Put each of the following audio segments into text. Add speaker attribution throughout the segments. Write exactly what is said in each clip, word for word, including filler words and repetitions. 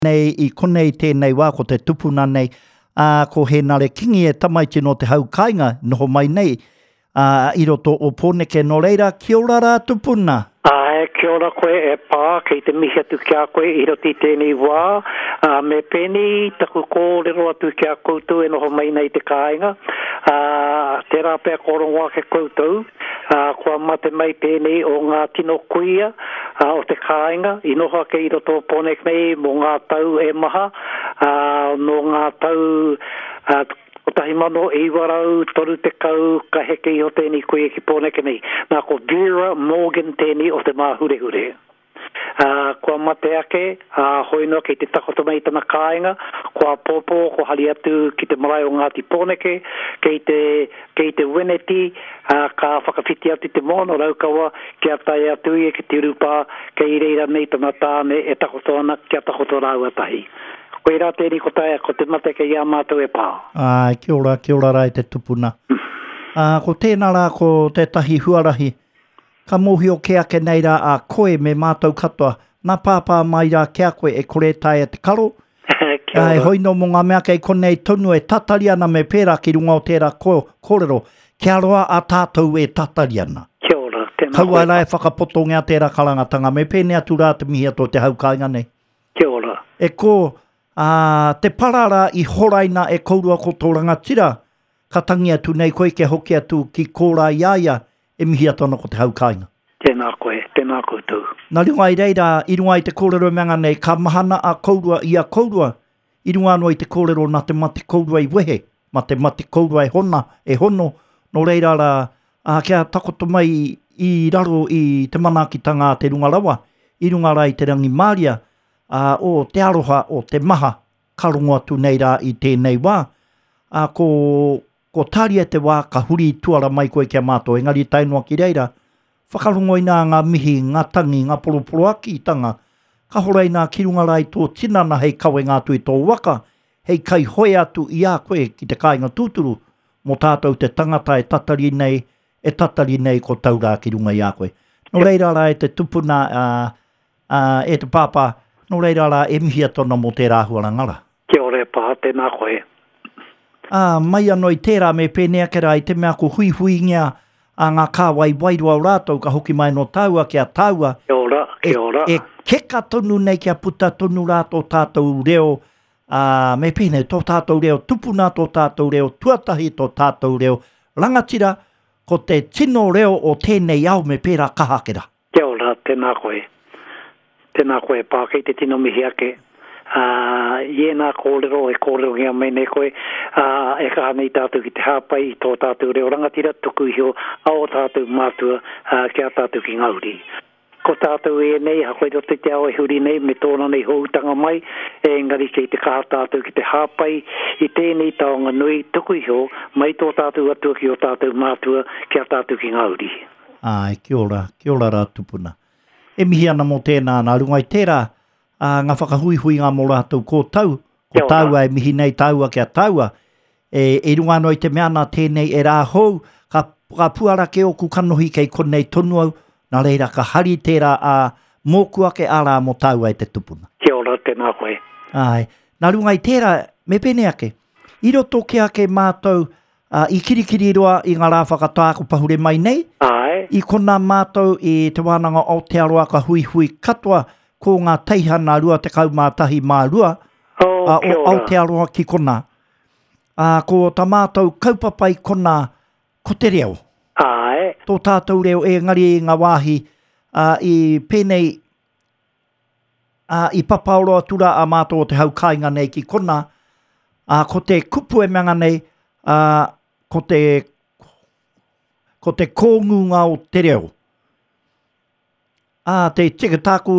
Speaker 1: Nei i konei tēnei wā ko te tupuna nei, ā, ko Hēnare Kingi e tamaiti nō te hau kāinga, noho mai nei, ā, i roto o Pōneke. Nō reira, kia ora rā tupuna.
Speaker 2: Āe, kia ora koe e pā, kei te mihi atu ki a koe i roto i tēnei wā, ā, me pēnei taku kōrero atu ki a koutou e noho mai nei i te kāinga, ā, tērā pea kua rongo ake koutou, ā, kua mate mai tēnei o ngā tino kuia, ā, o te kāinga, i noho ake i roto o Pōneke nei mō ngā tau e maha, ā, nō ngā tau ā, kotahi mano iwa rau toru tekau ka heke iho tēnei kuia ki Pōneke nei. Nā, ko Vera Morgan tēnei o Te Māhurehure. Ā, kua mate ake, ā, hoi noa kei te takoto mai tana kāinga, ko āpōpō, ko hari atu ki te marae o Ngāti Pōneke, kei te, kei te Weneti, ā, ka whakawhiti atu te moana o Raukawa kia tae atu ia ki te urupā, kei reira nei tana tāne e takoto ana, kia takoto rāua tahi. Koirā tēnei ko taea, ko te mate kei a mātou e pā.
Speaker 1: Āe, kia ora, kia ora rā e te tupuna. Ā, ko tēnā rā ko tētahi huarahi Ka mōhio kē ake nei rā a koe me mātou katoa, nā Pāpā mai rā ki a koe e kore e taea te karo,
Speaker 2: Kia
Speaker 1: ā,
Speaker 2: ora.
Speaker 1: hoi nō mō ngā mea kei konei tonu e tatari ana me pērā ki runga o tērā kōrero, kia roa a tātou e tatari ana.
Speaker 2: Kia ora, tēnā
Speaker 1: Kaua
Speaker 2: koe.
Speaker 1: rā e whakapotongia tērā karangatanga, me pēnei atu rā te mihi atu o te hau kāinga nei.
Speaker 2: Kia ora.
Speaker 1: E kō, ā, te para rā i horaina e kourua ko tō rangatira, ka tangi atu nei koe kia hoki atu ki kōrā i a ia, e mihi atu ana ko te hau kāinga.
Speaker 2: Tēnā koe, tēnā koutou.
Speaker 1: Nā runga i reira, i runga i te kōrero e mea nei, ka mahana a kourua i a kourua, i runga anō i te kōrero nā te mate kourua i wehe, mā te mate kourua e hona, e hono, nō reira rā, ā, kia takoto mai i raro i te manaakitanga a te runga rawa, i runga rā i te rangimāria, ā, o te aroha, o te maha, ka rongo atu nei rā i tēnei wā, ā, ko, ko tāria te wā ka huri tuara mai koe ki a mātou, engari tae noa ki reira, whakarongo inā ngā mihi, ngā tangi, ngā poroporoakitanga, ka hora inā ki runga rā i tō tinana hei kawenga atu i tō waka, hei kaihoe atu i a koe ki te kāinga tūturu, mō tātou te tangata e tatari nei, e tatari nei ko tau rā ki runga i a koe. Nō reira rā e te tupuna, ā, ā, e te pāpā, nō reira rā e mihi atu ana mō tērā āhuaranga rā.
Speaker 2: Kia ora e pā, tēnā koe.
Speaker 1: Ā, mai anō i tērā me pēnei ake rā i te mea ko huihuingia a ngā kāwai wairua o rātou ka hoki mai nō tāua ki a tāua
Speaker 2: Kia ora,
Speaker 1: e,
Speaker 2: kia ora.
Speaker 1: e keka tonu nei kia puta tonu rā tō tātou reo, ā, me pēnei, tō tātou reo tupuna, tō tātou reo tuatahi, tō tātou reo rangatira, ko te tino reo o tēnei ao me pērā kaha ake rā.
Speaker 2: Kia ora, tēnā koe. Tēnā koe, pā, kei te tino mihi ake. Ā, i ēnā kōrero e kōrerongia mai nei koe, ā, e kaha nei tātou ki te hāpai i tō tātou reo rangatira, tuku iho a ō tātou mātua, ā, ki a tātou ki ngā uri. Ko tātou ēnei, ahakoa i roto i te ao e huri nei me tōna nei hōutanga mai, engari kei te kaha tātou ki te hāpai i tēnei taonga nui tuku iho mai tō tātou atua ki ō tātou mātua, ki a tātou ki ngā uri.
Speaker 1: Āe, kia ora, kia ora rā tupuna. E mihi ana mō tēnā, nā runga i tērā, ā, ngā whakahuihuinga mō rātou ko tau, ko
Speaker 2: Kia ora.
Speaker 1: tāua e mihi nei tāua ki a tāua, e, e runga anō i te mea nā tēnei e rā hou, ka, ka puara ke oku kanohi kei konei tonu au, nā reira ka hari tērā a mōku ake ārā mō tāua e te tupuna.
Speaker 2: Kia ora, tēnā koe.
Speaker 1: Āe, nā runga i tērā, me pēnei ake, i roto ke ake mātou, ā, i Kirikiriroa i ngā rā whakatā ko pahure mai nei,
Speaker 2: Āe.
Speaker 1: i konā mātou i Te Wānanga o Aotearoa ka huihui katoa ko ngā teihana rua tekau mā tahi mā rua,
Speaker 2: Oh,
Speaker 1: ā,
Speaker 2: kia
Speaker 1: o
Speaker 2: ora.
Speaker 1: Aotearoa ki konā. Ā, ko tā mātou kaupapa i konā, ko te reo.
Speaker 2: Āe.
Speaker 1: Tō tātou reo engari i ngā wāhi, ā, i pēnei, ā, i papaoro atu rā a mātou o te hau kāinga nei ki konā, ā, ko te kupu e mea nei, ā, ko te, ko te kōngunga o te reo. Ā, te tika tāku,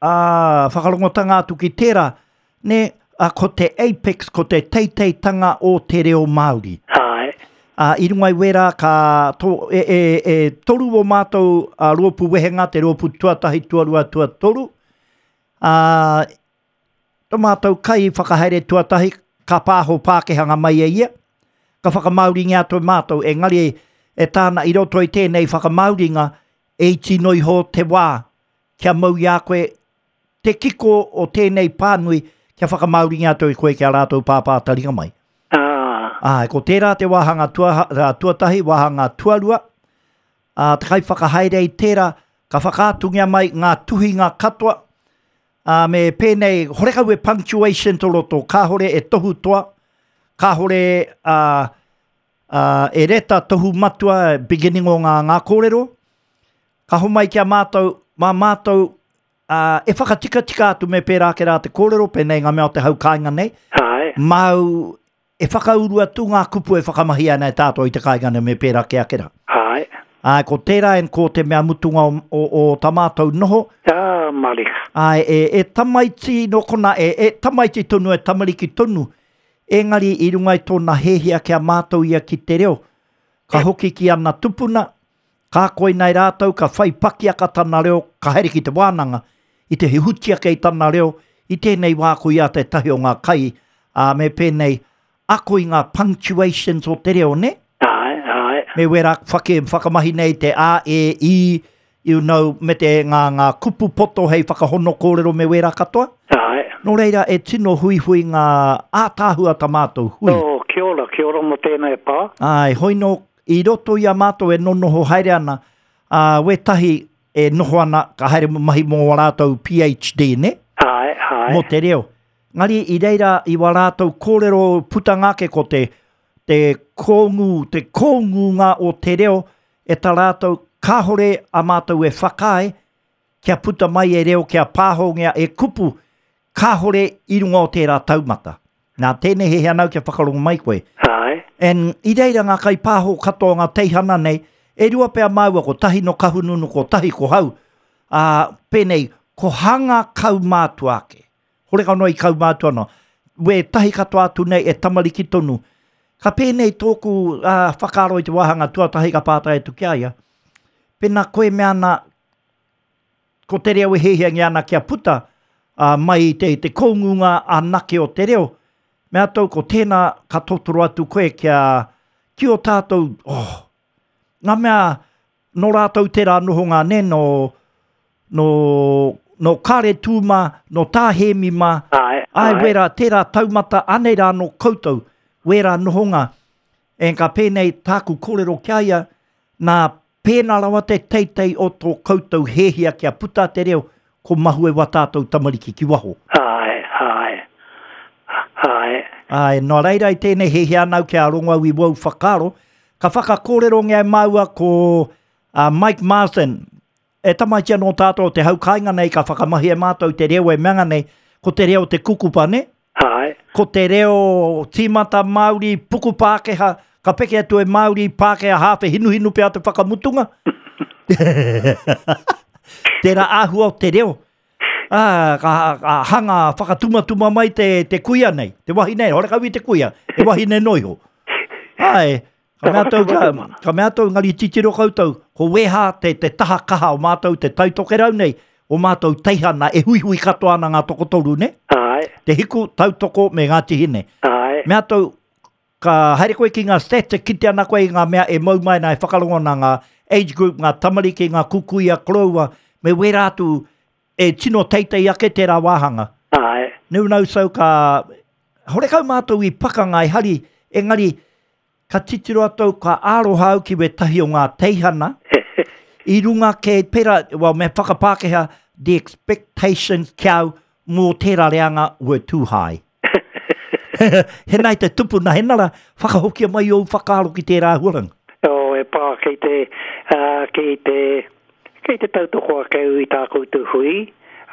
Speaker 1: ā, whakarongotanga atu ki tērā, ne, ā, ko te apex, ko te teiteitanga o te reo Māori.
Speaker 2: Āe.
Speaker 1: Ā, i runga i wērā ka tō, e, e, e toru o mātou a, rōpū wehenga, te rōpū tuatahi, tuarua, tuatoru. Ā, tō mātou kai whakahaere tuatahi, ka pāho Pākehanga mai e ia, ka whakamāoringia atu e mātou, engari e tāna i roto i tēnei whakamāoringa, e iti no iho te wā, kia mau i a koe te kiko o tēnei pānui kia whakamāoringia atu i koe ki a rātou pāpā taringa mai.
Speaker 2: Ah.
Speaker 1: Āe, ko tērā te wāhanga tua, tuatahi, wāhanga tuarua, ā, te kaiwhakahaere i tērā, ka whakaatungia mai ngā tuhinga katoa, ā, me pēnei, horekau e punctuation tō roto, kāhore e tohu toa, kāhore ā, ā, e reta tohu matua, beginning o ngā, ngā kōrero, ka homai ki a mātou, mā mātou, ā, e whakatikatika atu me pērā ake rā te kōrero, pēnei ngā mea o te hau kāinga nei,
Speaker 2: Āe.
Speaker 1: māu e whakauru atu ngā kupu e whakamahi ana e tātou i te kāinga nei me pērā ke ake rā.
Speaker 2: Āe.
Speaker 1: Āe, ko tērā en ko te mea mutunga o, o, o tā mātou noho.
Speaker 2: Ah, marika.
Speaker 1: Āe, e, e tamaiti no kona, e, e tamaiti tonu, e tamariki tonu, engari i runga i tōna hēhia kia mātou ia ki te reo. Ka hoki ki ana tupuna, ka koinei rātou, ka whai pakiaka tana reo, ka haere ki te wānanga, i te huti ake i tana reo, i tēnei wā ko ia tētahi o ngā kai, ā, me pēnei, ako i ngā punctuations o te reo, ne?
Speaker 2: Āe, āe.
Speaker 1: Me wera whake, whakamahi nei te A, E, I, you know, me te ngā, ngā kupu poto hei whakahono kōrero me wera katoa.
Speaker 2: Āe.
Speaker 1: Nō reira, e tino huihui ngā ātāhua tā mātou hui.
Speaker 2: Oh, kia ora, kia ora mō tēnei pā.
Speaker 1: Āe, hoi nō, i roto i a mātou e nonoho haere ana, ā, wētahi e noho ana, ka haere mahi mō wā rātou P H D, ne?
Speaker 2: Āe, āe.
Speaker 1: Mō te reo. Ngari i reira, i wā rātou kōrero putanga ake ko te, te kōngū, te kōngūnga o te reo, e tā rātou kāhore a mātou e whakaae, kia puta mai e reo, kia pāhongia e kupu, kāhore i runga o tērā taumata. Nā tēnei he hanau kia whakarongo mai koe.
Speaker 2: Āe.
Speaker 1: En i reira ngā kaipāho katoa ngā teihana nei, e rua pea māua ko tahi no kahununu, ko tahi ko hau. Ā, pēnei, ko hanga kaumātua ake. Horeka noa i kaumātua no. We tahi katoa atu nei e tamariki tonu. Ka pēnei tōku ā, whakaaro i te wāhanga tuatahi ka pātai atu ki a ia. Pēnā koe mea ana, ko te reo e hehiangi ana kia puta, ā, mai te, te kōngunga anake o te reo. Mea tau ko tēnā ka totoro atu koe kia, ki o tātou, oh, ngā mea nō rātou tērā noho ngā ne, no, no, no Kare Tūma, no Tā Hēmi mā,
Speaker 2: Āe,
Speaker 1: ai,
Speaker 2: āe.
Speaker 1: wera, tērā taumata, anei rā no koutou, wera nohonga. En ka pēnei tāku kōrero kia ia, nā pēnā rawa te teitei o tō koutou hēhia kia puta te reo, ko mahue wa tātou tamariki ki waho.
Speaker 2: Āe, āe, āe.
Speaker 1: Āe, nō reira i tēnei hēhia anau kia rongo au i wau whakaaro, ka whakakōrero ngā māua ko uh, Mike Marsden. E tamaiti anō tātou te hau kāinga nei ka whakamahi e mātou te reo e meanga nei, ko te reo te kukupa, ne?
Speaker 2: Āe.
Speaker 1: Ko te reo tīmata Māori, puku Pākehā, ka peke atu e Māori, Pākehā, hāwhe, hinuhinu pea te whakamutunga. Tērā āhua o te reo. Ā, ka, ka hanga whakatumatuma mai te, te kuia nei, te wahine, horekau i te kuia, te wahine noiho. Āe, ka mea tau, ka, ka mea tau ngari titiro koutou, ko weha te, te taha kaha o mātou, te taitokerau nei, o mātou teihana e huihui katoa ana ngā tokotoru, ne?
Speaker 2: Āe.
Speaker 1: Te hiku, tautoko me ngā tihine.
Speaker 2: Āe.
Speaker 1: Mea tau, ka haere koe ki ngā stats, e kite ana koe i ngā mea e mau mai nā e whakarongo nā ngā age group, ngā tamariki, ngā kukuia, koroua, me wera atu e tino teitei ake tērā wāhanga.
Speaker 2: Āe.
Speaker 1: Neu nau sau ka, horekau mātou i pakanga e hari, engari, ka titiro atu, ka aroha au ki wetahi o ngā teihana, i runga ke pera, well, me whakapākehā, the expectations kia au mō tērā reanga were too high. He nei te tupuna, he nara, whakahokia mai ou whakaaro ki tērā huaranga.
Speaker 2: Oh, e pā, kei te, uh, kei te, kei te tautoko ake au i tā koutou hui,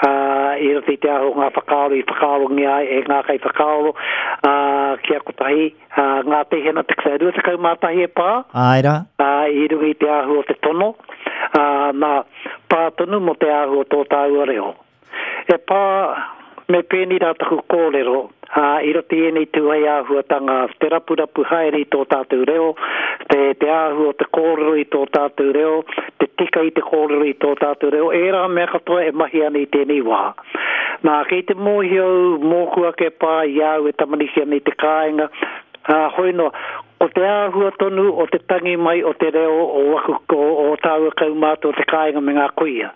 Speaker 2: uh, i roto i te aho ngā whakaaro i whakaarongia ai e ngā kai whakaaro, uh, kia kotahi, uh, ngā teihana te kusai rua tekau mā tahi e pā,
Speaker 1: Āe rā.
Speaker 2: uh, i runga i te ahu o te tono, uh, nā, pā tonu mō te ahu o tō tāua reo. E pā, me pēni rā taku kōrero, uh, i roto i ēnei tūhei āhuatanga, te rapurapu haere i tō tātou reo, te, te āhu o te kōrero i tō tātou reo, te tika i te kōrero i tō tātou reo, ērā mea katoa e mahi ana i tēnei wā. Nā, kei te mōhio mōku ake pā i au e tamariki ana i te kāinga, Ā, hoi noa, ko te āhua tonu o te tangi mai o te reo o waku, o, o tāua kaumātua o te kāinga me ngā kuia.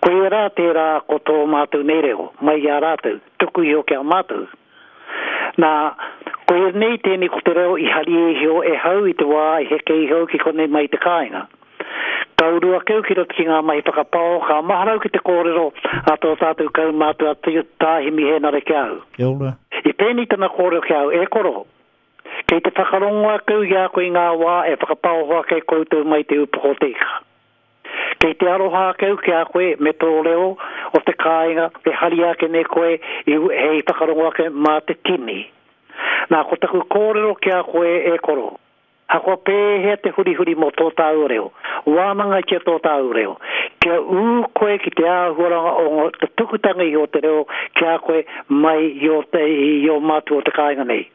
Speaker 2: Koia rā tērā ko tō mātou nei reo, mai i a rātou, tuku iho ki a mātou. Nā, koia nei tēnei ko te reo i hari iho e hau i te wā i heke iho ki konei mai i te kāinga. Ka uru ake au ki roto ki ngā mahi whakapao, ka maharau ki te kōrero a tō tātou kaumātua Tā Himi Hēnare ki a au.
Speaker 1: Kia ora.
Speaker 2: I pēnei tana kōrero ki a au, e koro, kei te whakarongo ake au i a koe i ngā wā e whakapaoho ake koutou mai te upoko o te ika. Kei te aroha ake au ki a koe me tō reo o te kāinga e hari ake nei koe i, hei whakarongo ake mā te tini. Nā, ko taku kōrero ki a koe e koro, Ahakoa pēhea te hurihuri mō tō tāua reo, wānangatia tō tāua reo, kia ū koe ki te āhuaranga o te tukutanga iho o te reo ki a koe mai i ō, i ō mātua o te kāinga nei.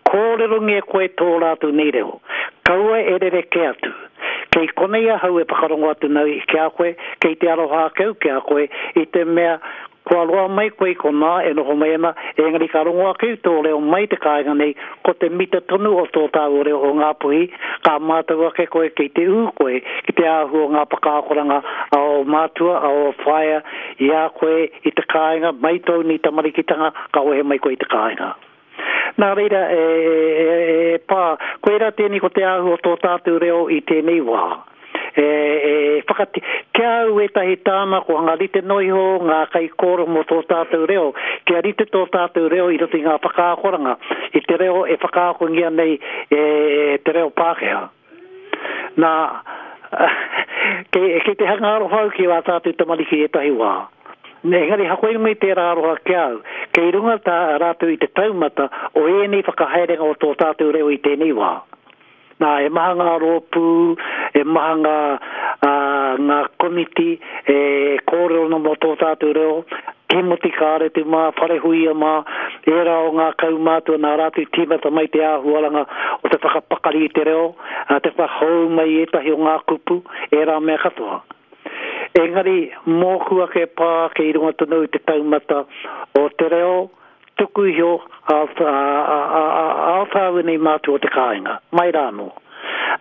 Speaker 2: Kōrerongia koe tō rātou nei reo. Kaua e rerekē atu. Kei konei ahau e whakarongo atu nei ki a koe, kei te aroha ake au ki a koe, i te mea Kua roa mai koe i konā e noho mai ana, engari ka rongo ake i tō reo mai te kāinga nei, ko te mita tonu o tō tāua reo o Ngāpuhi, ka mātau ake koe kei te ū koe ki te āhua o ngā whakaakoranga a ō mātua, a ō whaea i a koe i te kāinga, mai tōu nei tamarikitanga ka wehe mai koe i te kāinga. Nā reira, e, e, e pā, koirā tēnei ko te āhua o tō tātou reo i tēnei wā. E, e, whakati, kia au ētahi tāna ko hanga rite noa iho ngā kaikōrero mō tō tātou reo, kia rite tō tātou reo i roto i ngā whakaakoranga, i te reo e whakaakongia nei e te reo Pākehā. Nā, kei, kei te hanga aroha au ki wā tātou tamariki i ētahi wā. Engari hakoia mai tērā aroha ki a au, kei runga tā rātou i te taumata o ēnei whakahaerenga o tō tātou reo i tēnei wā. Nā, e maha ngā rōpū, e maha ngā, ā, ngā komiti e kōrero ana mō tō tātou reo, Tīmoti Kāretu mā, Wharehuia mā, ērā o ngā kaumātua nā rātou i tīmata mai te āhuaranga o te whakapakari i te reo, ā, te whakahou mai i ētahi o ngā kupu, ērā mea katoa. Engari, mōku ake pā kei runga tonu i te taumata o te reo tuku iho a, a, a, a, a ō tāua nei mātua o te kāinga, mai rā anō.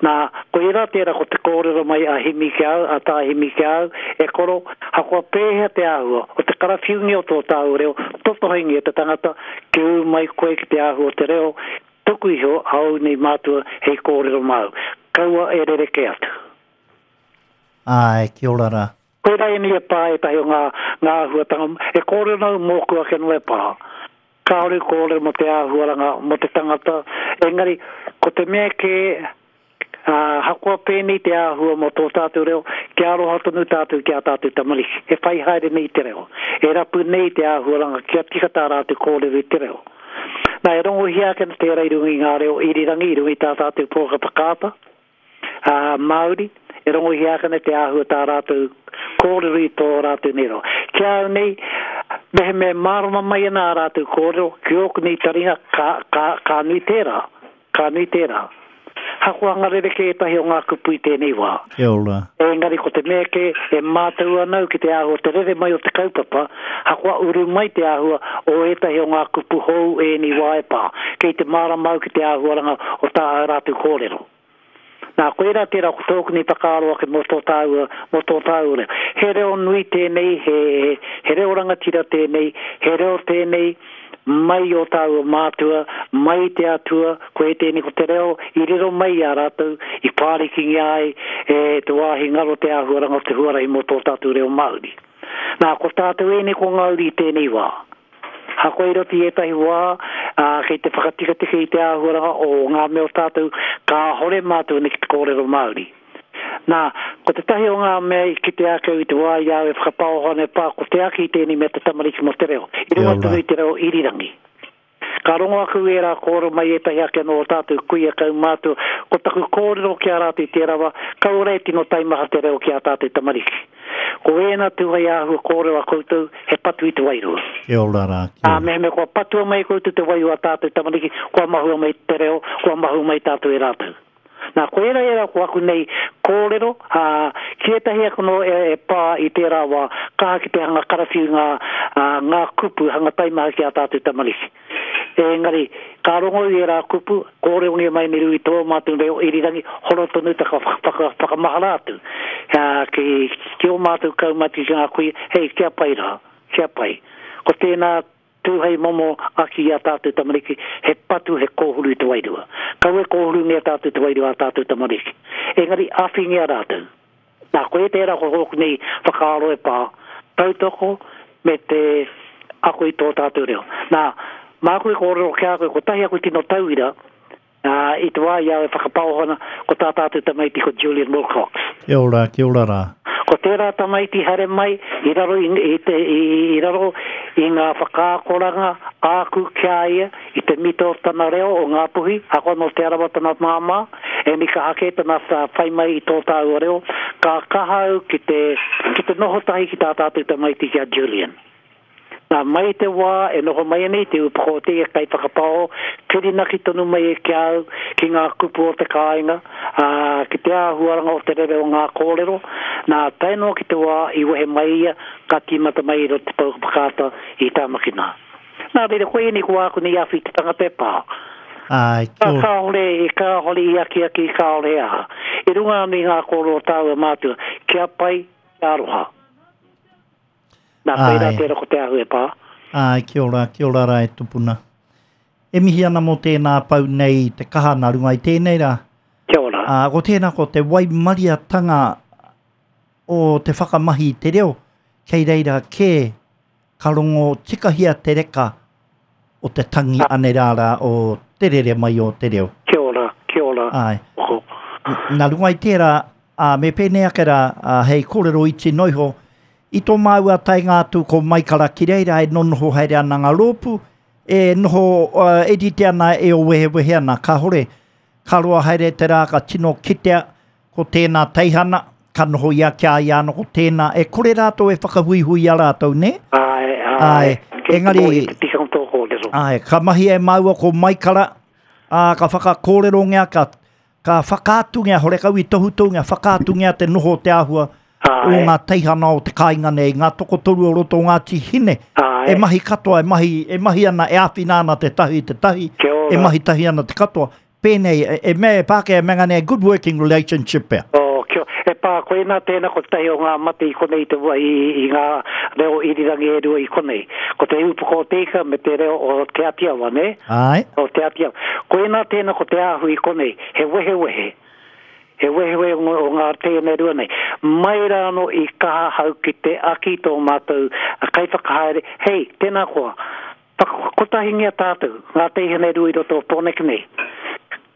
Speaker 2: Nā, koirā tērā ko te kōrero mai a Himi ki a au, a Tā Himi ki a au, e koro, hakoa pēhea te āhua o te karawhiungia o tō tāua reo, totohengia te tangata, kia ū mai koe ki te āhua o te reo tuku iho a ōu nei mātua hei kōrero māu. Kaua e rerekē atu.
Speaker 1: Āe, kia ora rā.
Speaker 2: Koirā ēnei e pā ētahi o ngā, ngā āhuatanga, e kōrero ana au mōku ake anō e pā. Kāore kōrero mō te āhuaranga, mō te tangata, engari, ko te mea kē, ā, hakoa pēnei te āhua mō tō tātou reo, kia aroha tonu tātou ki ā tātou tamariki, e whai haere nei te reo, e rapu nei te āhuaranga kia tika tā rātou kōrero i te reo. Nā, e rongohia ake ana tērā i runga i ngā reo irirangi, i runga i tā tātou pouaka whakaata, ā, Māori, e rongohia ake ana te āhua tā rātou kōrero i tō rātou nei reo. Ki a au nei, mehemea e mārama mai ana ā rātou kōrero, ki ōku nei taringa, ka, ka, ka nui tērā, ka nui tērā. Hakoa rerekē ētahi o ngā kupu i tēnei wā.
Speaker 1: Kia ora.
Speaker 2: Engari ko te mea kē, e mātau ana au ki te āhua te rere mai o te kaupapa, hakoa uru mai te āhua o ētahi o ngā kupu hou ēnei wā e pā. Kei te mārama au ki te āhuaranga o tā rātou kōrero. Nā, koirā tērā ko tōku nei whakaaro ake mō tō tāua, mō tō tāua reo. He reo nui tēnei, he, he reo rangatira tēnei, he reo tēnei mai ō tāua mātua, mai te Atua, koe tēnei ko te reo i riro mai i a rātou, i whārikingia ai e te wāhi ngaro te āhuaranga o te huarahi mō tō tātou reo Māori. Nā, ko tātou ēnei ko ngā uri i tēnei wā. Hakoa i roto i ētahi wā, ā, kei te whakatikatika i te āhuaranga o ngā mea o tātou, kāhore mātou nei ki te kōrero Māori. Nā, ko tētahi o ngā mea i kite ake au i te wā i a au e whakapaoho ana e pā, ko te aki i tēnei mea te tamariki mō te reo, i runga tonu i te reo irirangi. Ka rongo aku i ērā kōrero mai ētahi ake anō o tātou kuia kaumātua, ko taku kōrero ki a rātou i tērā wā, kaore e tino taimaha te reo ki ā tātou tamariki. Ko ēnā tū hei āhua kōrero a koutou, he patu i te wairua.
Speaker 1: Kia ora rā, kia
Speaker 2: ora. Ā, mehemea kua patua mai e koutou te wairua a tātou tamariki, kua mahua mai te reo, kua mahue mai tātou e rātou. Nā, ko ērā ērā ko aku nei kōrero, ā, ki ētahi aku nō e, e pā i tērā wā, kaha ki te hanga karawhiu ngā, ā, ngā kupu hanga taimaha ki ā tātou tamariki. Engari, ka rongo i ērā kupu, kōrerongia mai nei i tō mātou reo irirangi, horo tonu ta ka whaka, whakamahara atu. Ha, ki, ki o mātou kaumati ki ngā kuia, hei, kia pai rā, kia pai. Ko tēnā tū hei momo aki i a tātou tamariki, he patu he kōhuru i te wairua. Kaua e kōhurungia tātou te wairua a tātou tamariki. Engari, āwhingia rātou. Nā, koe tērā ko hōku nei whakaaro e pā, tautoko me te ako i tō tātou reo. Nā, māku e kōrero ki a koe, kotahi aku tino tauira, ā, i te wā i au e whakapaoho ana, ko tā tātou tamaiti ko Julian Wilcox.
Speaker 1: Kia ora, kia ora rā.
Speaker 2: Ko tērā tamaiti haere mai i raro i, i, te, i, i raro i ngā whakaakoranga āku ki a ia i te mito o tana reo o Ngāpuhi, ahakoa nō Te Arawa tana māmā, e ni kaha kē tana whai mai i tō tāua reo, ka kaha au ki te, ki te noho tahi ki tā tātou tamaiti ki a Julian. Nā, mai te wā e noho mai nei te upoko o te ia kaiwhakapaoho, whirinaki tonu mai e ki au, ki ngā kupu o te kāinga, ā, ki te āhuaranga o te rere o ngā kōrero. Nā, tae noa ki te wā i wehe mai ia, ka tīmata mai i roto te pouaka whakaata i Tāmaki nā. Nā reira, koe ēnei ko āku nei awhi te tangata e pā.
Speaker 1: Ai,
Speaker 2: Ka
Speaker 1: kia ora.
Speaker 2: kāore, kāore i akiaki, kāore e aha. I runga anō i ngā kōrero o tāua mātua, kia pai, kia aroha. Nā, koirā
Speaker 1: Ai.
Speaker 2: tērā ko te ahu e pā.
Speaker 1: Ai, kia ora, kia ora rā e tupuna. E mihi ana mō tēnā pau nei i te kaha nā runga i tēnei rā.
Speaker 2: Kia ora.
Speaker 1: Ā, ko tēnā ko te waimariatanga o te whakamahi i te reo, kei reira kē ka rongo tikahia te reka o te tangi ane rā rā o te rere mai o te reo.
Speaker 2: Kia ora, kia ora.
Speaker 1: Ai.
Speaker 2: Oho.
Speaker 1: Nā runga i tērā, ā, me pēnei ake rā, ā, hei kōrero iti noiho, i tō māua taenga atu ko Maikara ki reira e nonoho haere ana ngā rōpū, e noho uh, e rite ana e o wehewehe ana, kāhore, ka roa haere te rā ka tino kitea ko tēnā teihana, ka noho ia ki a ia anō ko tēnā, e kore rātou e whakahuihui i a rātou, nē?
Speaker 2: Ai, ai.
Speaker 1: Ai,
Speaker 2: Kei te
Speaker 1: engari-
Speaker 2: mōhio te tikanga tō kōrero.
Speaker 1: Ai, ka mahi e māua ko Maikara, ā, ka whakakōrerongia, ka, ka whakaatungia, horekau i tohutohungia, whakaatungia te noho o te āhua o
Speaker 2: Ai.
Speaker 1: ngā teihana o te kāinga nei, ngā tokotoru o roto o Ngāti Hine.
Speaker 2: Ai.
Speaker 1: E mahi katoa, e mahi, e mahi ana, e āwhina ana te tahi, te tahi,
Speaker 2: Kia ora.
Speaker 1: e mahi tahi ana te katoa. Pēnei, e, e mea e Pākehā e mea nei, good working relationship pea.
Speaker 2: Oh, kia, e pā, koe nā tēnā ko tahi o ngā mate i konei te wa, i, i ngā reo irirangi e rua i konei. Ko te upoko o te ika me te reo o Te Atiawa, ne?
Speaker 1: Ai.
Speaker 2: O Te Atiawa. Koe nā tēnā ko te ahu i konei, he wehewehe. He wehewehe o, o ngā tēnā rua nei. Mai rā anō i kaha hau ki te aki tō mātou kaiwhakahaere, hei, tēnā koa, kotahingia tātou, ngā teihana e rua i roto o Pōneke nei.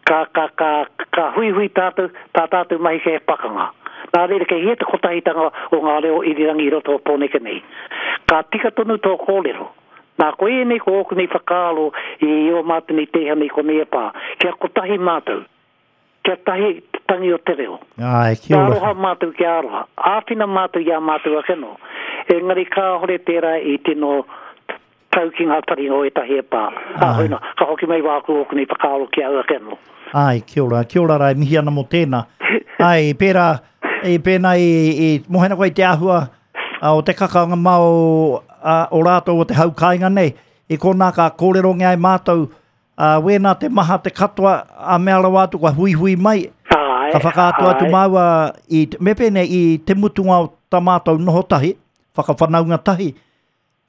Speaker 2: Ka, ka, ka, ka huihui tātou, tā tātou mahi kei pakanga. Nā reira, kei hea te kotahitanga o ngā reo irirangi i roto o Pōneke nei. Ka tika tonu tō kōrero. Nā, ko ēnei ko ōku nei whakaaro i o mātou nei teihana i konei e pā. Kia kotahi mātou. Kia tahi te tangi o te reo.
Speaker 1: Ai, kia
Speaker 2: Kia
Speaker 1: ora.
Speaker 2: aroha mātou, kia aroha. Āwhina mātou i a mātou ake nō. Engari kāhore tērā i tino tau ki ngā taringa o ētahi e pā. Ā,
Speaker 1: Ai.
Speaker 2: hoina, ka hoki mai wāku ōku nei whakaaro ki au ake nō.
Speaker 1: Ai, kia ora, kia ora rā, e mihi ana mō tēnā. Ai, pērā, i pēnā i, i mohena koe i te āhua a, o te kakanga mao a, o rātou o te hau kāinga nei. I konā ka kōrerongia e mātou, a, wēnā te maha te katoa, a mea rawa atu ka huihui mai,
Speaker 2: Ai,
Speaker 1: ka whakaatu atu
Speaker 2: ai.
Speaker 1: māua i, me pēnei i te mutunga o tā mātou noho tahi, whakawhanaunga tahi,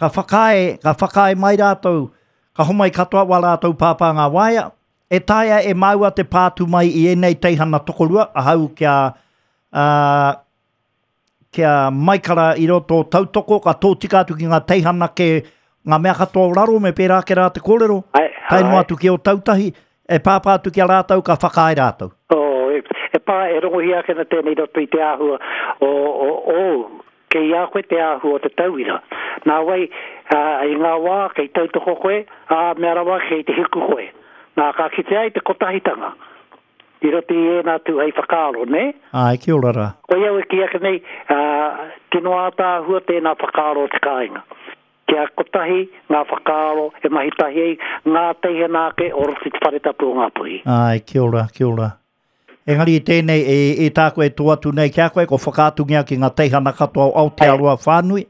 Speaker 1: ka whakaae, ka whakaae mai rātou, ka homai katoa wā rātou pāpā ngā waea, e taea e māua te pātu mai i ēnei teihana tokorua, ahau kia, ā, kia maikara i roto o tautoko, ka tōtika atu ki ngā teihana ke ngā mea katoa o raro me pērā ke rā te kōrero,
Speaker 2: Ai,
Speaker 1: tae noa
Speaker 2: ai.
Speaker 1: atu ki o tautahi, e pāpā atu ki a rātou, ka whakaae rātou.
Speaker 2: Oh, e, e pā, e rongohia ake na tēnei roto i te āhua o, o, o, kei a koe te āhua o te tauira. Nā wai, ā, i ngā wā kei tautoko koe, ā, mea rawa kei te hiku koe. Nā, ka kite ai te kotahitanga. I roto i ēnā tū hei whakaaro, ne?
Speaker 1: Ai, kia ora rā.
Speaker 2: Ko au e ki ake nei, ā, tino ātaahua tēnā whakaaro o te kāinga. Kia kotahi ngā whakaaro e mahi tahi ai, ngā teihana ake o roto i te whare tapu o Ngāpuhi.
Speaker 1: Ai, kia ora, kia ora. Engari i tēnei, e, e tāku e tō atu nei ki a koe, ko whakaatungia ki ngā teihana katoa o Aotearoa whānui,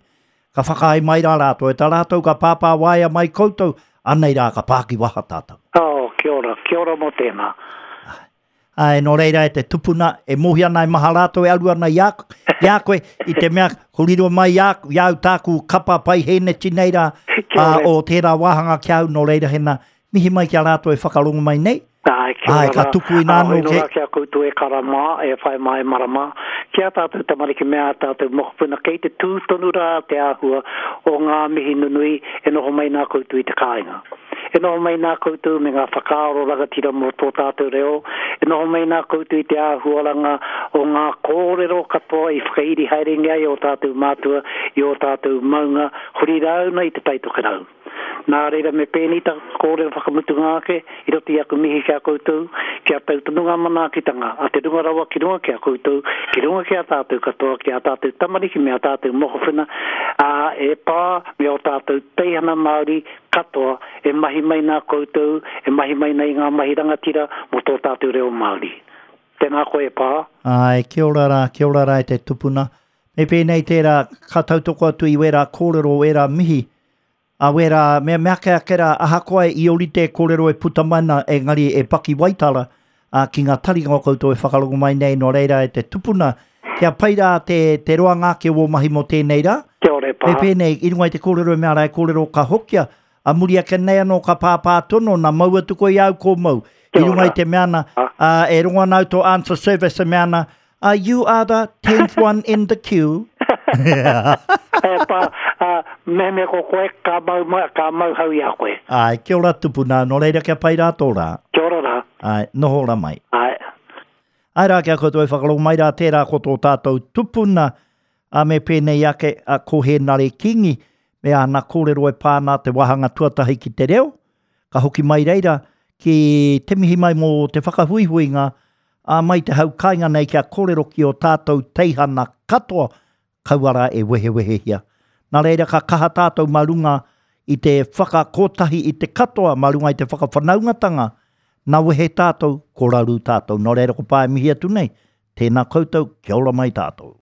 Speaker 1: ka whakaae mai rā rātou. E tā rātou ka pāpā waea mai koutou, Anei rā ka pākiwaha tātou.
Speaker 2: Oh, kia ora, kia ora mō tēnā.
Speaker 1: Ai, nō reira e te tupuna, e mohi ana e maha rātou e aru ana i a, i a koe, i te mea, ko riro mai i a, i au tāku kapa pai hēneti nei rā,
Speaker 2: Kia
Speaker 1: ā,
Speaker 2: ora.
Speaker 1: o tērā wāhanga ki au, nō reira hena, mihi mai ki a rātou e whakarongo mai nei.
Speaker 2: Ai, kia
Speaker 1: Ai,
Speaker 2: ora
Speaker 1: ka
Speaker 2: rā.
Speaker 1: tuku inā
Speaker 2: Ā,
Speaker 1: anō
Speaker 2: hoi nō
Speaker 1: ke-
Speaker 2: rā ki a koutou e kara mā, e whai mā e mara mā. Ki a tātou tamariki me ā tātou mokopuna, kei te tū tonu rā te āhua o ngā mihi nunui e noho mai nā koutou i te kāinga. E noho mai nā koutou me ngā whakaaro rangatira mō tō tātou reo, e noho mai nā koutou i te āhuaranga o ngā kōrero katoa i whakairi haerengia i o tātou mātua, i o tātou maunga, huri rāuna i te taitokerau. Nā reira me pēnei ta kōrero whakamutunga ake, i roto i aku mihi ki a koutou, kia tau tonu ngā manaakitanga, a te runga rawa ki runga ki a koutou, ki runga ki a tātou katoa, ki a tātou tamariki me a tātou mokopuna, ā, e pā me o tātou teihana Māori katoa e mahi mai nā koutou, e mahi mai nei ngā mahi rangatira mō tō tātou reo Māori. Tēnā koe e pā.
Speaker 1: Ai, kia ora rā, kia ora rā e te tupuna. Me pēnei tērā, ka tautoko atu i wērā kōrero, wērā mihi, a wērā, mea mea ake ake rā, ahakoa i orite kōrero e puta mai na, engari e paki waitara, a, ki ngā taringa o koutou e whakarongo mai nei, nō reira e te tupuna, kia pai rā te, te roanga ake o mahi mō tēnei rā.
Speaker 2: Kia ora e pā.
Speaker 1: Me pēnei, i runga i te kōrero e mea rā e kōrero ka hokia, a muri ake nei anō ka pāpā tono, na mau atu koe i au ko mau. I
Speaker 2: Kia
Speaker 1: runga i
Speaker 2: ora.
Speaker 1: te mea na,
Speaker 2: Ah.
Speaker 1: uh, e rongo ana au tō answer service e mea ana, uh, you are the tenth one in the queue.
Speaker 2: E pā, ā, mehemea ko koe, ka mau, ma, ka mau hau i a koe.
Speaker 1: Ai, kia ora tupuna, nō reira kia pai rā tō rā.
Speaker 2: Kia ora rā.
Speaker 1: Ai, noho rā mai.
Speaker 2: Ai.
Speaker 1: Ai rā kia koutou e whakarongo mai rā tērā ko tō tātou tupuna, a me pēnei ake a ko Hēnare Kingi, me āna kōrero e pāna te wāhanga tuatahi ki te reo, ka hoki mai reira ki te mihi mai mō te whakahuihuinga, a mai te hau kāinga nei kia kōrero ki o tātou teihana katoa, kauara e wehewehehia. Nā reira ka kaha tātou mā runga i te whakakotahi i te katoa, mā runga i te whakawhanaungatanga, nā wehe tātou, ko raru tātou. Nō reira ko pāe mihi atu nei, tēnā koutou, kia ora mai tātou.